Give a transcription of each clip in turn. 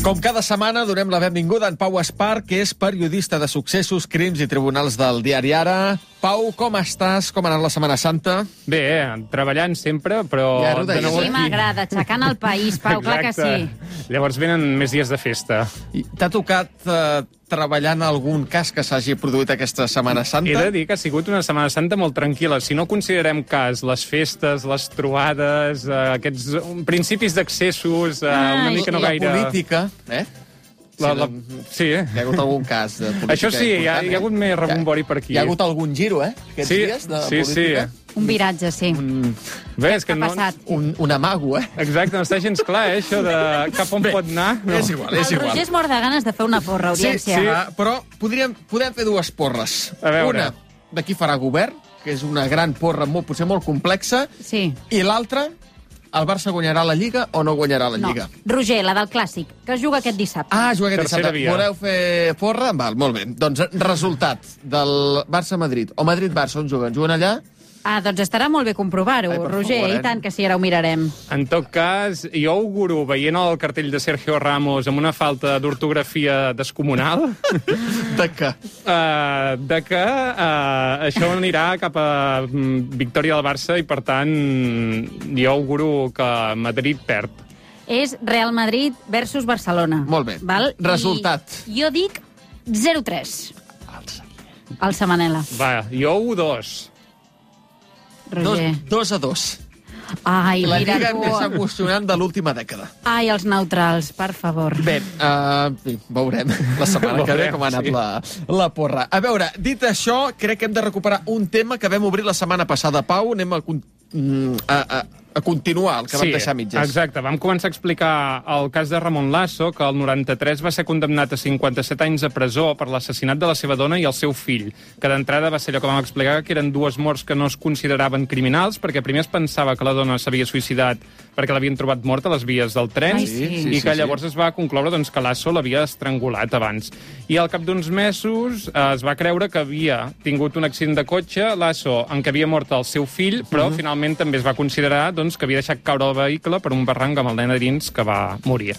Com cada setmana, donem la benvinguda a en Pau Espar, que és periodista de successos, crims i tribunals del diari Ara. Pau, com estàs? Com ha anat la Setmana Santa? Bé, treballant sempre, però... Ja, de nou Sí, m'agrada, aixecant el país, Pau, clar que sí. Llavors venen més dies de festa. T'ha tocat treballar en algun cas que s'hagi produït aquesta Setmana Santa? He de dir que ha sigut una Setmana Santa molt tranquil·la. Si no considerem cas les festes, les trobades, aquests principis d'accessos, una mica no gaire... La política, Sí. Hi ha hagut algun cas de política. Això sí, hi ha hagut més rebombori per aquí. Hi ha hagut algun giro, aquests dies de política. Un viratge, sí. Bé, és que Què ha passat? Un amago, Exacte, no està gens clar, això de cap on pot anar. No. És igual, és El igual. Roger es mor de ganes de fer una porra, audiència. Sí, però podem fer dues porres. A veure. Una, de qui farà govern, que és una gran porra potser molt complexa, Sí. i l'altra, el Barça guanyarà la Lliga o no guanyarà la No. Lliga? Roger, la del Clàssic, que es juga aquest dissabte. Ah, juga aquest Tercera dissabte. via. Voleu fer porra? Val, molt bé. Doncs resultat del Barça-Madrid o Madrid-Barça, on juguen? Juguen allà? Ah, doncs estarà molt bé comprovar-ho, Ai, per Roger, favor, i tant que sí, ara ho mirarem. En tot cas, jo auguro, veient el cartell de Sergio Ramos amb una falta d'ortografia descomunal, De què? de que això anirà cap a victòria del Barça i, per tant, jo auguro que Madrid perd. És Real Madrid versus Barcelona. Molt bé. Val? Resultat. I jo dic 0-3. El Samanela. Va, jo 1-2. Roger. 2-2. Ai, La mira Lliga tu. més emocionant de l'última dècada. Ai, els neutrals, per favor. Bé, veurem la setmana que ve com ha anat sí. la porra. A veure, dit això, crec que hem de recuperar un tema que vam obrir la setmana passada. Pau, anem a continuar el que vam deixar a mitges. Exacte. Vam començar a explicar el cas de Ramon Lasso, que el 93 va ser condemnat a 57 anys de presó per l'assassinat de la seva dona i el seu fill, que d'entrada va ser allò que vam explicar, que eren dues morts que no es consideraven criminals, perquè primer es pensava que la dona s'havia suïcidat perquè l'havien trobat morta a les vies del tren, Ai, sí. i que llavors es va concloure doncs, que Lasso l'havia estrangulat abans. I al cap d'uns mesos es va creure que havia tingut un accident de cotxe, Lasso, en què havia mort el seu fill, però finalment també es va considerar doncs, que havia deixat caure el vehicle per un barranc amb el nen a dins, que va morir.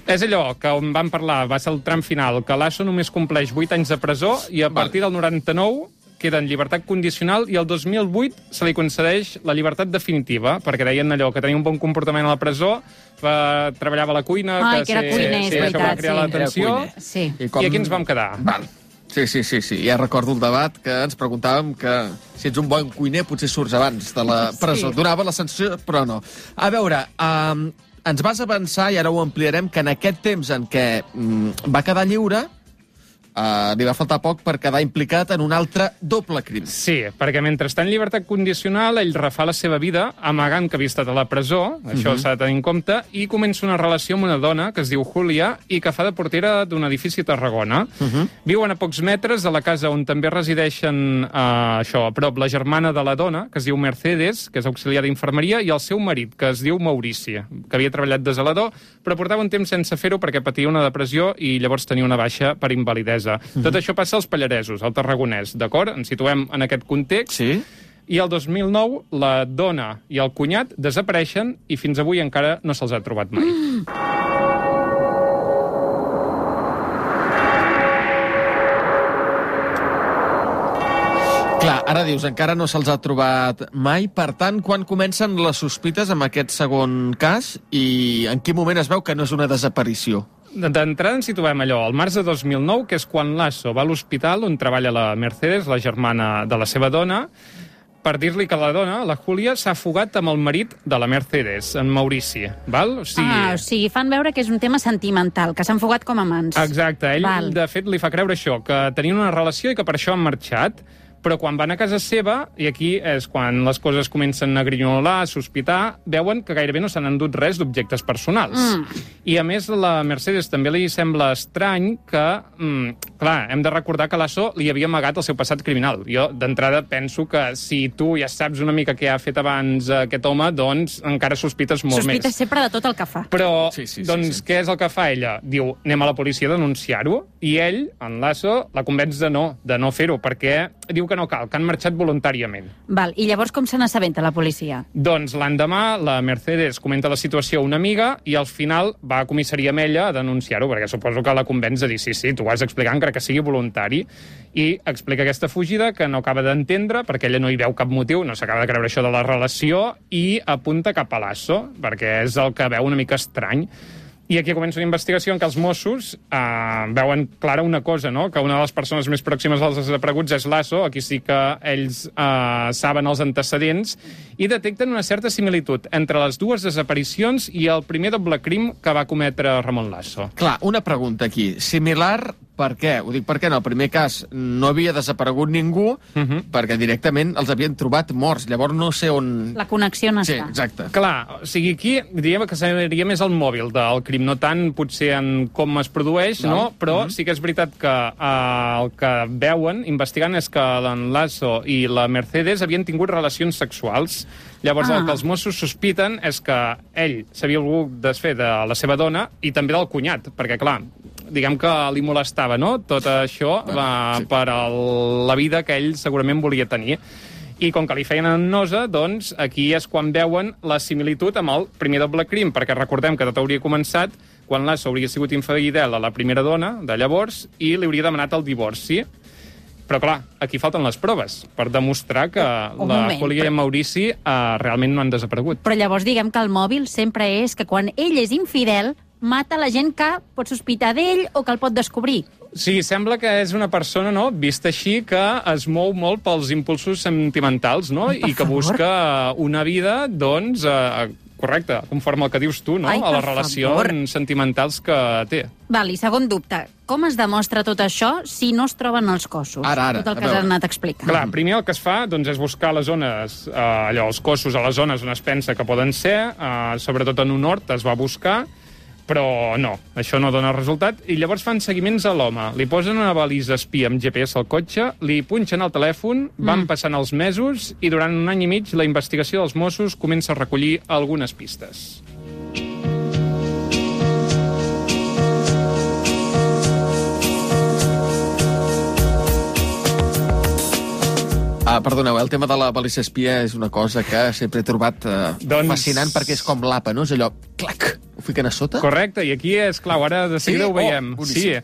És allò que on vam parlar, va ser el tram final, que Lasso només compleix 8 anys de presó i a partir del 99 queda en llibertat condicional i el 2008 se li concedeix la llibertat definitiva, perquè deien allò, que tenia un bon comportament a la presó, treballava a la cuina... Ai, que era cuiner, és això va veritat, crear sí. l'atenció. Sí. I aquí ens vam quedar. Val. Sí. Ja recordo el debat que ens preguntàvem que si ets un bon cuiner potser surts abans de la presó. Sí. Donava la sensació, però no. A veure, ens vas avançar, i ara ho ampliarem, que en aquest temps en què va quedar lliure, li va faltar poc per quedar implicat en un altre doble crim. Sí, perquè mentre està en llibertat condicional, ell refà la seva vida amagant que havia estat a la presó, això s'ha de tenir en compte, i comença una relació amb una dona que es diu Júlia i que fa de portera d'un edifici a Tarragona. Viuen a pocs metres de la casa on també resideixen a prop la germana de la dona, que es diu Mercedes, que és auxiliar d'infermeria, i el seu marit, que es diu Maurici, que havia treballat de zelador, però portava un temps sense fer-ho perquè patia una depressió i llavors tenia una baixa per invalidesa. Tot això passa als Pallaresos, al Tarragonès, d'acord? Ens situem en aquest context. Sí? I el 2009 la dona i el cunyat desapareixen i fins avui encara no se'ls ha trobat mai. Clar, ara dius, encara no se'ls ha trobat mai. Per tant, quan comencen les sospites amb aquest segon cas i en quin moment es veu que no és una desaparició? D'entrada ens situem allò, al març de 2009, que és quan Lasso va a l'hospital on treballa la Mercedes, la germana de la seva dona, per dir-li que la dona, la Júlia, s'ha fugat amb el marit de la Mercedes, en Maurici. Val? O sigui, fan veure que és un tema sentimental, que s'han fugat com a amants. Exacte, ell, de fet, li fa creure això, que tenien una relació i que per això han marxat, però quan van a casa seva, i aquí és quan les coses comencen a grinyolar, a sospitar, veuen que gairebé no s'han endut res d'objectes personals. I, a més, la Mercedes també li sembla estrany que, clar, hem de recordar que Lasso li havia amagat el seu passat criminal. Jo, d'entrada, penso que si tu ja saps una mica què ha fet abans aquest home, doncs encara sospites molt més. Sospites sempre de tot el que fa. Però, Sí. què és el que fa ella? Diu, anem a la policia a denunciar-ho, i ell, en Lasso, la convenç de no fer-ho, perquè diu que que no cal, que han marxat voluntàriament. Val, i llavors com se n'assabenta la policia? Doncs l'endemà la Mercedes comenta la situació a una amiga i al final va a comissaria amb ella a denunciar-ho, perquè suposo que la convenç de dir sí, tu ho has d'explicar encara que sigui voluntari, i explica aquesta fugida que no acaba d'entendre perquè ella no hi veu cap motiu, no s'acaba de creure això de la relació i apunta cap a l'Asso, perquè és el que veu una mica estrany. I aquí comença una investigació en què els Mossos veuen clara una cosa, no? Que una de les persones més pròximes als desapareguts és l'Asso, aquí sí que ells saben els antecedents, i detecten una certa similitud entre les dues desaparicions i el primer doble crim que va cometre Ramon Lasso. Clar, una pregunta aquí. Similar per què? Ho dic perquè en el primer cas no havia desaparegut ningú, perquè directament els havien trobat morts. Llavors no sé on... La connexió no Sí, està. exacte. Clar, o sigui, aquí diríem que seria més el mòbil del crim, no tant potser en com es produeix, no? Però sí que és veritat que el que veuen, investigant, és que l'en Lasso i la Mercedes havien tingut relacions sexuals. Llavors el que els Mossos sospiten és que ell s'havia volgut desfer de la seva dona i també del cunyat, perquè, clar, diguem que li molestava, no?, tot això per la vida que ell segurament volia tenir. I com que li feien en nosa, doncs aquí és quan veuen la similitud amb el primer doble crim, perquè recordem que tot hauria començat quan Lasso hauria sigut infidel a la primera dona de llavors i li hauria demanat el divorci. Però, clar, aquí falten les proves per demostrar que la Júlia i en Maurici realment no han desaparegut. Però llavors diguem que el mòbil sempre és que quan ell és infidel mata la gent que pot sospitar d'ell o que el pot descobrir. Sí, sembla que és una persona, no?, vista així, que es mou molt pels impulsos sentimentals, no?, i que busca una vida, doncs, correcte, conforme el que dius tu, no?, a les relacions sentimentals que té. Val, i segon dubte, com es demostra tot això si no es troben els cossos? Ara, tot el que has anat explicant. Clar, primer el que es fa doncs, és buscar les zones, els cossos a les zones on es pensa que poden ser, sobretot en un hort es va buscar, però no, això no dona resultat, i llavors fan seguiments a l'home. Li posen una balisa espia amb GPS al cotxe, li punxen el telèfon, van passant els mesos, i durant un any i mig la investigació dels Mossos comença a recollir algunes pistes. Perdoneu, el tema de la balisa espia és una cosa que sempre he trobat fascinant, perquè és com l'APA, no? És allò, clac, ho fiquen a sota? Correcte, i aquí és clau, ara de seguida ho veiem. Sí,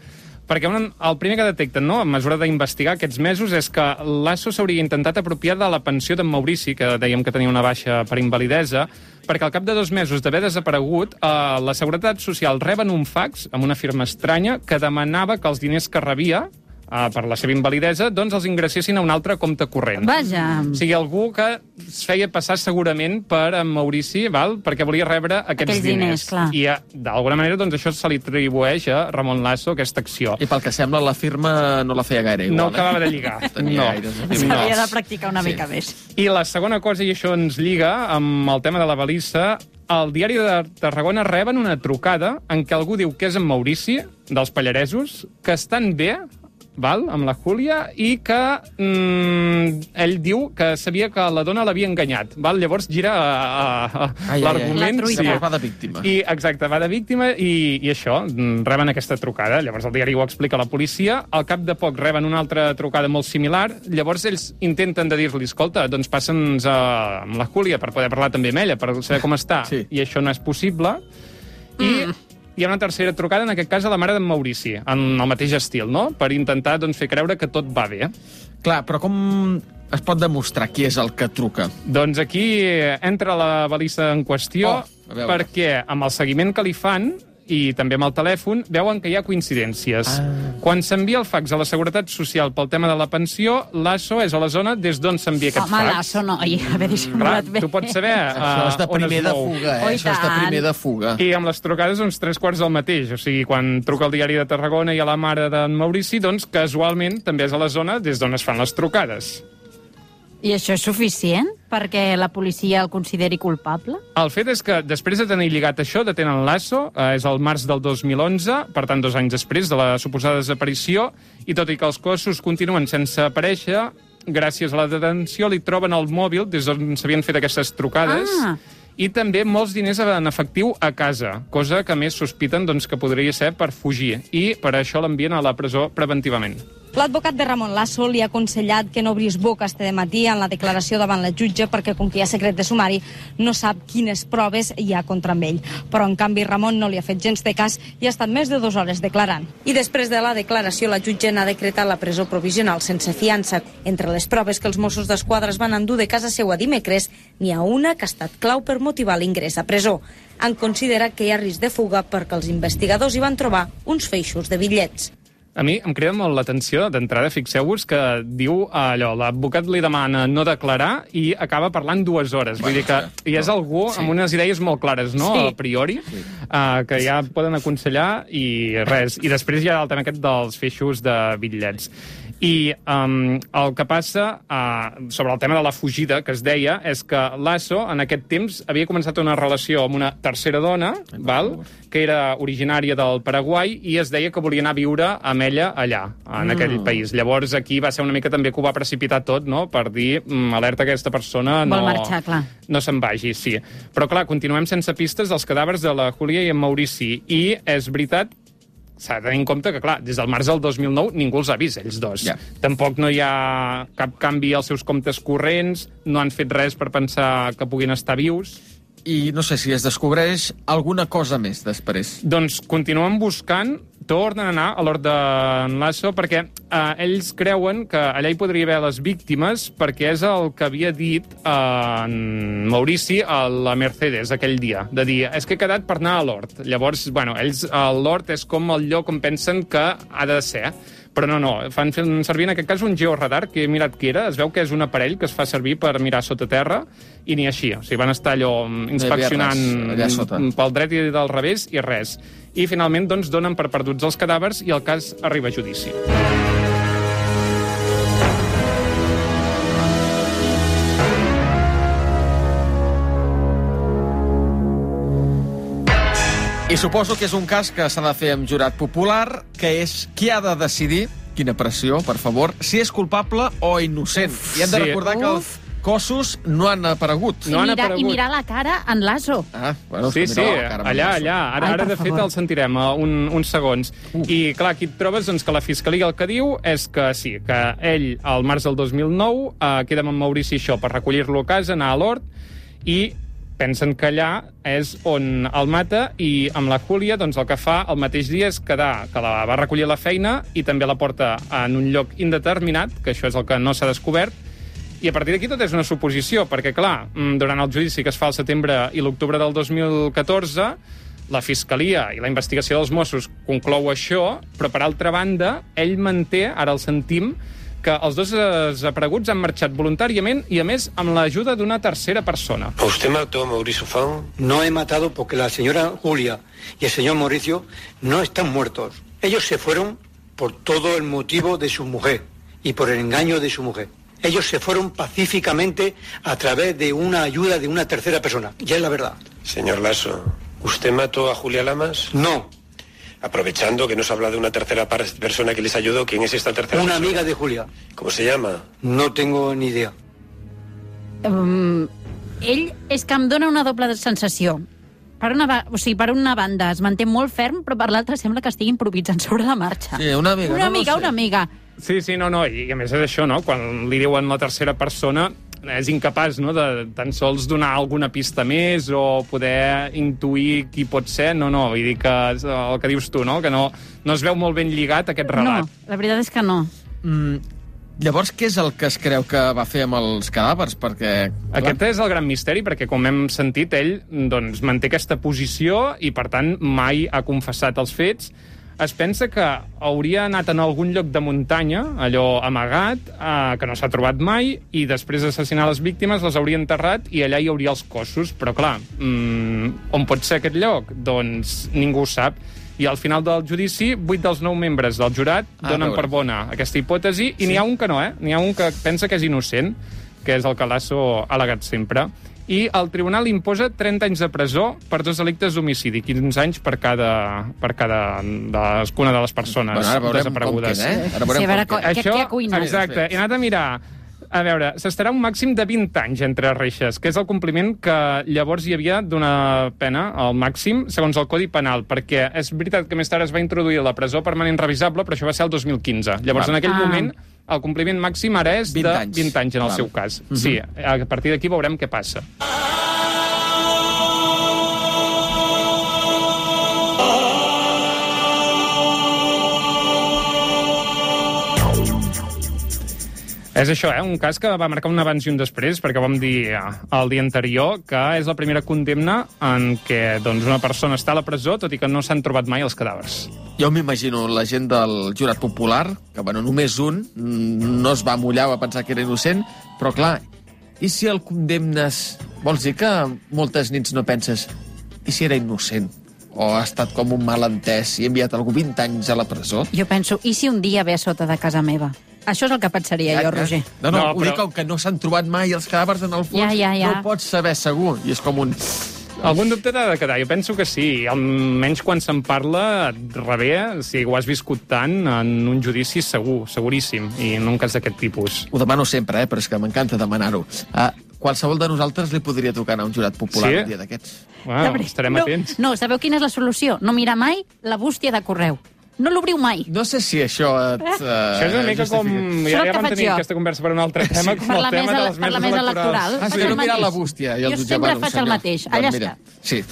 perquè el primer que detecten, no?, a mesura d'investigar aquests mesos, és que Lasso s'hauria intentat apropiar de la pensió d'en Maurici, que dèiem que tenia una baixa per invalidesa, perquè al cap de 2 mesos d'haver desaparegut, la Seguretat Social reben un fax amb una firma estranya que demanava que els diners que rebia per la seva invalidesa, doncs els ingressessin a un altre compte corrent. Vaja. O sigui, algú que es feia passar segurament per en Maurici, val?, perquè volia rebre aquests diners. Clar. I d'alguna manera doncs, això se li atribueix a Ramon Lasso, aquesta acció. I pel que sembla la firma no la feia gaire igual. No acabava de lligar. S'havia de practicar una mica més. I la segona cosa, i això ens lliga amb el tema de la balissa, al Diari de Tarragona reben una trucada en què algú diu que és en Maurici, dels Pallaresos, que estan bé, val, amb la Júlia, i que ell diu que sabia que la dona l'havia enganyat. Val? Llavors gira l'argument. Llavors va de víctima. I, exacte, va de víctima i això, reben aquesta trucada. Llavors el diari ho explica a la policia. Al cap de poc reben una altra trucada molt similar. Llavors ells intenten de dir-li, escolta, doncs passa'ns amb la Júlia per poder parlar també amb ella, per saber com està. Sí. I això no és possible. I hi ha una tercera trucada, en aquest cas a la mare d'en Maurici, en el mateix estil, no?, per intentar doncs, fer creure que tot va bé. Clar, però com es pot demostrar qui és el que truca? Doncs aquí entra la balissa en qüestió, perquè amb el seguiment que li fan, i també amb el telèfon, veuen que hi ha coincidències. Quan s'envia el fax a la Seguretat Social pel tema de la pensió, Lasso és a la zona des d'on s'envia aquest fax. Home, Lasso no, haver dissimulat bé. Tu pots saber això és de primer de fuga, Això és de primer de fuga. I amb les trucades, uns 3/4 del mateix. O sigui, quan truca al Diari de Tarragona i a la mare d'en Maurici, doncs casualment també és a la zona des d'on es fan les trucades. I això és suficient perquè la policia el consideri culpable? El fet és que, després de tenir lligat això, detenen Lasso, és el març del 2011, per tant, 2 anys després de la suposada desaparició, i tot i que els cossos continuen sense aparèixer, gràcies a la detenció li troben el mòbil des d'on s'havien fet aquestes trucades, i també molts diners en efectiu a casa, cosa que més sospiten doncs, que podria ser per fugir, i per això l'envien a la presó preventivament. L'advocat de Ramon Lasso li ha aconsellat que no obrís boca este dematí en la declaració davant la jutge perquè, com que hi ha secret de sumari, no sap quines proves hi ha contra ell. Però, en canvi, Ramon no li ha fet gens de cas i ha estat més de 2 hores declarant. I després de la declaració, la jutge n'ha decretat la presó provisional sense fiança. Entre les proves que els Mossos d'Esquadra es van endur de casa seva dimecres, n'hi ha una que ha estat clau per motivar l'ingrés a presó. Han considerat que hi ha risc de fuga perquè els investigadors hi van trobar uns feixos de bitllets. A mi em crida molt l'atenció, d'entrada, fixeu-vos que diu allò, l'advocat li demana no declarar i acaba parlant 2 hores. Vull dir que hi és algú amb unes idees molt clares, no?, a priori, que ja poden aconsellar i res. I després hi ha el tema aquest dels feixos de bitllets. I el que passa sobre el tema de la fugida, que es deia, és que Lasso, en aquest temps, havia començat una relació amb una tercera dona, que era originària del Paraguai, i es deia que volia anar a viure amb ella allà, en aquell país. Llavors, aquí va ser una mica també que ho va precipitar tot, no?, per dir, alerta, aquesta persona no, vol marxar, clar. No se'n vagi, sí. Però, clar, continuem sense pistes dels cadàvers de la Júlia i en Maurici, i és veritat, s'ha de tenir en compte que, clar, des del març del 2009 ningú els ha vist, ells dos. Tampoc no hi ha cap canvi als seus comptes corrents, no han fet res per pensar que puguin estar vius. I no sé si es descobreix alguna cosa més després. Doncs continuen buscant, tornen a anar a l'hort d'en Lasso, perquè ells creuen que allà hi podria haver les víctimes, perquè és el que havia dit en Maurici a la Mercedes aquell dia, de dir, és que he quedat per anar a l'hort. Llavors, bueno, ells, l'hort és com el lloc on pensen que ha de ser, però no, fan servir en aquest cas un georadar, que he mirat què era, es veu que és un aparell que es fa servir per mirar sota terra, i ni així, o sigui, van estar allò inspeccionant pel dret i del revés, i res. I finalment, doncs, donen per perduts els cadàvers i el cas arriba a judici. I suposo que és un cas que s'ha de fer amb jurat popular, que és qui ha de decidir, quina pressió, per favor, si és culpable o innocent. I hem de recordar que els cossos no han aparegut. I mirar la cara en Lasso. Bueno, sí, allà. Ara de fet, el sentirem uns segons. I, clar, aquí et trobes doncs, que la Fiscalia el que diu és que sí, que ell, al març del 2009, queda amb en Maurici això per recollir-lo a casa, anar a l'hort, i pensen que allà és on el mata, i amb la Júlia doncs, el que fa el mateix dia és quedar, que la va recollir a la feina i també la porta en un lloc indeterminat, que això és el que no s'ha descobert, i a partir d'aquí tot és una suposició, perquè, clar, durant el judici que es fa al setembre i l'octubre del 2014, la Fiscalia i la investigació dels Mossos conclou això, però, per altra banda, ell manté, ara el sentim, que els dos desapareguts han marxat voluntàriament i, a més, amb l'ajuda d'una tercera persona. ¿Usted mató a Mauricio Fan? No he matado porque la señora Julia y el señor Mauricio no están muertos. Ellos se fueron por todo el motivo de su mujer y por el engaño de su mujer. Ellos se fueron pacíficamente a través de una ayuda de una tercera persona. Ya es la verdad. Señor Lasso, ¿usted mató a Julia Lamas? No. Aprovechando que nos habla de una tercera persona que les ayudó, ¿quién es esta tercera persona? Una amiga de Julia. ¿Cómo se llama? No tengo ni idea. Ell és que em dona una doble sensació. Per una banda es manté molt ferm, però per l'altra sembla que estigui improvisant sobre la marxa. Sí, una amiga. Sí, no, i a més és això, no? Quan li diuen la tercera persona, és incapaç, no?, de tan sols donar alguna pista més o poder intuir qui pot ser. No, vull dir que el que dius tu, no?, que no es veu molt ben lligat aquest relat. No, la veritat és que no. Llavors, què és el que es creu que va fer amb els cadàvers? Perquè, aquest és el gran misteri, perquè, com hem sentit, ell doncs, manté aquesta posició i, per tant, mai ha confessat els fets. Es pensa que hauria anat en algun lloc de muntanya, allò amagat, que no s'ha trobat mai, i després d'assassinar les víctimes les hauria enterrat i allà hi hauria els cossos. Però, clar, on pot ser aquest lloc? Doncs ningú ho sap. I al final del judici, 8 dels 9 membres del jurat donen per bona aquesta hipòtesi, i n'hi ha un que no, N'hi ha un que pensa que és innocent, que és el que Lasso ha al·legat sempre. I el tribunal imposa 30 anys de presó per 2 delictes d'homicidi, 15 anys per cadascuna de les persones desaparegudes. Ara veurem què cuina. Exacte, he anat a mirar. A veure, s'estarà un màxim de 20 anys entre reixes, que és el compliment que llavors hi havia d'una pena, al màxim, segons el Codi Penal, perquè és veritat que més tard es va introduir la presó permanent revisable, però això va ser el 2015. Llavors, en aquell moment, el compliment màxim ara és de 20 anys en el seu cas. Sí, a partir d'aquí veurem què passa. És això, un cas que va marcar un abans i un després, perquè vam dir el dia anterior que és la primera condemna en què una persona està a la presó, tot i que no s'han trobat mai els cadàvers. Jo m'imagino la gent del jurat popular, que només un, no es va mullar, va pensar que era innocent, però clar, i si el condemnes... Vols dir que moltes nits no penses i si era innocent? O ha estat com un malentès i ha enviat algú 20 anys a la presó? Jo penso, i si un dia ve a sota de casa meva? Això és el que pensaria jo, Roger. No, ho dic com que no s'han trobat mai els cadàvers en el fons, no pots saber segur. I és com un... Algun dubte t'ha de quedar, jo penso que sí. Almenys quan se'n parla, et rebé, si ho has viscut tant, en un judici segur, seguríssim, i en un cas d'aquest tipus. Ho demano sempre, però és que m'encanta demanar-ho. Qualsevol de nosaltres li podria tocar anar a un jurat popular un dia d'aquests. Estarem atents. No, sabeu quina és la solució? No mirar mai la bústia de correu. No l'obriu mai. No sé si això et... Això és una mica com... Ja vam tenir aquesta conversa per un altre tema, com el tema de les meses electorals. Sí, no mirar la bústia. Jo sempre faig el mateix. Allà està. Sí.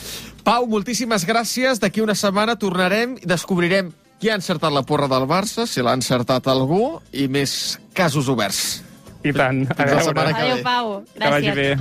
Pau, moltíssimes gràcies. D'aquí una setmana tornarem i descobrirem qui ha encertat la porra del Barça, si l'ha encertat algú, i més casos oberts. I tant. Adéu, Pau. Gràcies. Que vagi bé.